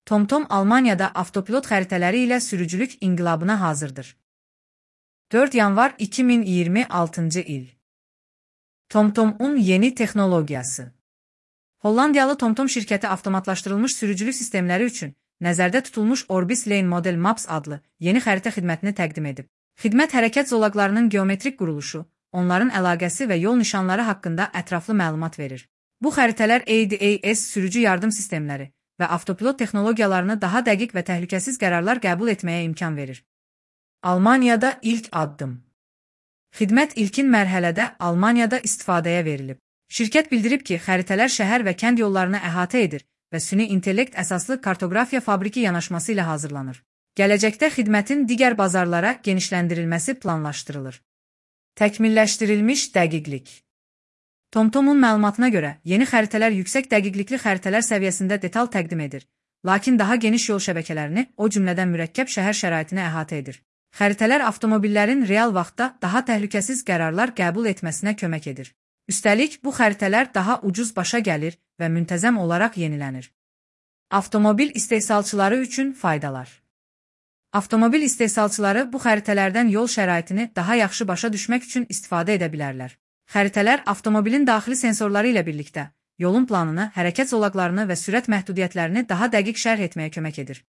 TomTom Almaniyada avtopilot xəritələri ilə sürücülük inqilabına hazırdır. 4 yanvar 2026-cı il. TomTom'un yeni texnologiyası. Hollandiyalı TomTom şirkəti avtomatlaşdırılmış sürücülük sistemləri üçün nəzərdə tutulmuş Orbis Lane Model Maps adlı yeni xəritə xidmətini təqdim edib. Xidmət hərəkət zolaqlarının geometrik quruluşu, onların əlaqəsi və yol nişanları haqqında ətraflı məlumat verir. Bu xəritələr ADAS sürücü yardım sistemləri və avtopilot texnologiyalarını daha dəqiq və təhlükəsiz qərarlar qəbul etməyə imkan verir. Almaniyada ilk addım. Xidmət ilkin mərhələdə Almaniyada istifadəyə verilib. Şirkət bildirib ki, xəritələr şəhər və kənd yollarını əhatə edir və süni intellekt əsaslı kartografiya fabriki yanaşması ilə hazırlanır. Gələcəkdə xidmətin digər bazarlara genişləndirilməsi planlaşdırılır. Təkmilləşdirilmiş dəqiqlik. TomTomun məlumatına görə, yeni xəritələr yüksək dəqiqlikli xəritələr səviyyəsində detal təqdim edir, lakin daha geniş yol şəbəkələrini, o cümlədən mürəkkəb şəhər şəraitini əhatə edir. Xəritələr avtomobillərin real vaxtda daha təhlükəsiz qərarlar qəbul etməsinə kömək edir. Üstəlik, bu xəritələr daha ucuz başa gəlir və müntəzəm olaraq yenilənir. Avtomobil istehsalçıları üçün faydalar. Avtomobil istehsalçıları bu xəritələrdən yol şəraitini daha yaxşı başa düşmək üçün istifadə edə bilərlər. Xəritələr avtomobilin daxili sensorları ilə birlikdə yolun planını, hərəkət zolaqlarını və sürət məhdudiyyətlərini daha dəqiq şərh etməyə kömək edir.